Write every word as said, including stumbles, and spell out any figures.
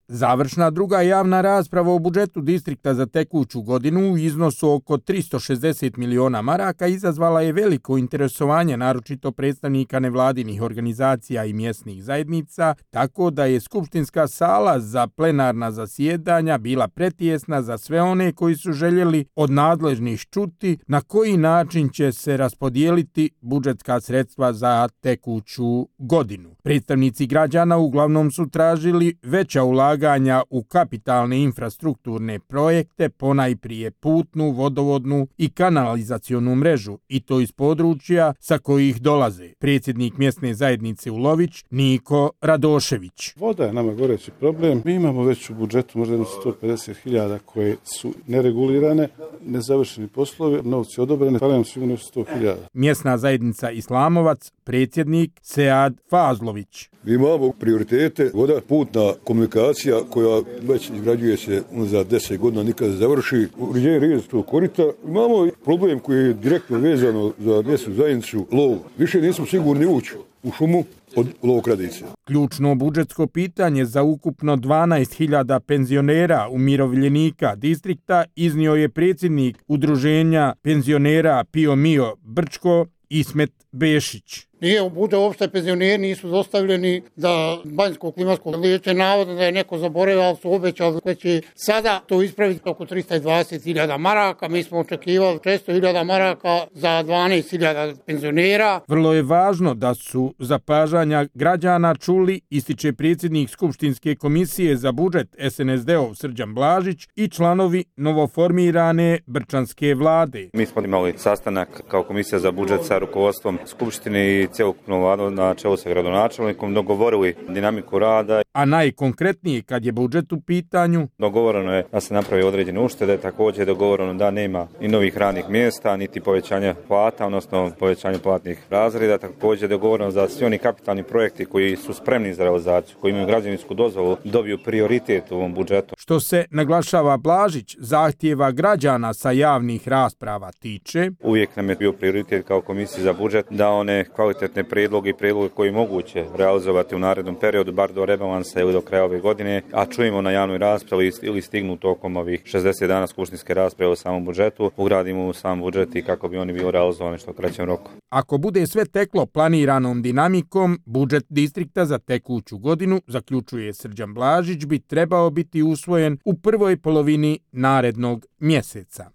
Završna druga javna rasprava o budžetu distrikta za tekuću godinu u iznosu oko tristo šezdeset miliona maraka izazvala je veliko interesovanje, naročito predstavnika nevladinih organizacija i mjesnih zajednica, tako da je skupštinska sala za plenarna zasjedanja bila pretjesna za sve one koji su željeli od nadležnih čuti na koji način će se raspodijeliti budžetska sredstva za tekuću godinu. Predstavnici građana uglavnom su tražili veća ulaganja u kapitalne infrastrukturne projekte, ponajprije putnu, vodovodnu i kanalizacionu mrežu, i to iz područja sa kojih dolaze. Predsjednik mjesne zajednice Ulović, Niko Radošević. Voda je nama goreći problem. Mi imamo već u budžetu možda sto pedeset hiljada koje su neregulirane, nezavršeni poslovi, novci odobrene, ali nam sigurno sto hiljada. Mjesna zajednica Islamovac, predsjednik Sead Fazlović. Mi imamo prioritete, voda, putna komunikacija koja već izgrađuje se za deset godina, nikada se završi. Uređenje riječkog korita. Imamo problem koji je direktno vezano za mjesnu zajednicu, lov. Više nismo sigurni ući u šumu od lovokradice. Ključno budžetsko pitanje za ukupno dvanaest hiljada penzionera umirovljenika distrikta iznio je predsjednik udruženja penzionera Pio Mio Brčko Ismet Bešić. Nije bude uopšte penzioneri nisu dostavljeni za banjsko klimatsko liječenje, navodno da je neko zaboravio, ali su obećali da će sada to ispraviti oko tristo dvadeset hiljada maraka. Mi smo očekivali šesto hiljada maraka za dvanaest hiljada penzionera. Vrlo je važno da su zapažanja građana čuli, ističe predsjednik Skupštinske komisije za budžet S N S D-ov Srđan Blažić i članovi novoformirane Brčanske vlade. Mi smo imali sastanak kao komisija za budžet sa rukovodstvom Skupštine i cjelokupnom vladom na čelu sa gradonačelnikom, dogovorili dinamiku rada. A najkonkretnije kad je budžet u pitanju? Dogovoreno je da se napravi određene uštede, također je dogovoreno da nema ni novih radnih mjesta, niti povećanja plata, odnosno povećanja platnih razreda. Također je dogovoreno da svi oni kapitalni projekti koji su spremni za realizaciju, koji imaju građevinsku dozvolu, dobiju prioritet u ovom budžetu. Što se, naglašava Blažić, zahtjeva građana sa javnih rasprava tiče, uvijek nam je bio prioritet kao komisija za budžet da one kvalitetne prijedloge i prijedloge koji moguće realizovati u narednom periodu, bar do rebalansa ili do kraja ove godine, a čujemo na javnoj raspravi ili stignu tokom ovih šezdeset dana skupštinske rasprave o samom budžetu, ugradimo u sam budžet i kako bi oni bili realizovani što kraćem roku. Ako bude sve teklo planiranom dinamikom, budžet distrikta za tekuću godinu, zaključuje Srđan Blažić, bi trebao biti usvojen u prvoj polovini narednog mjeseca.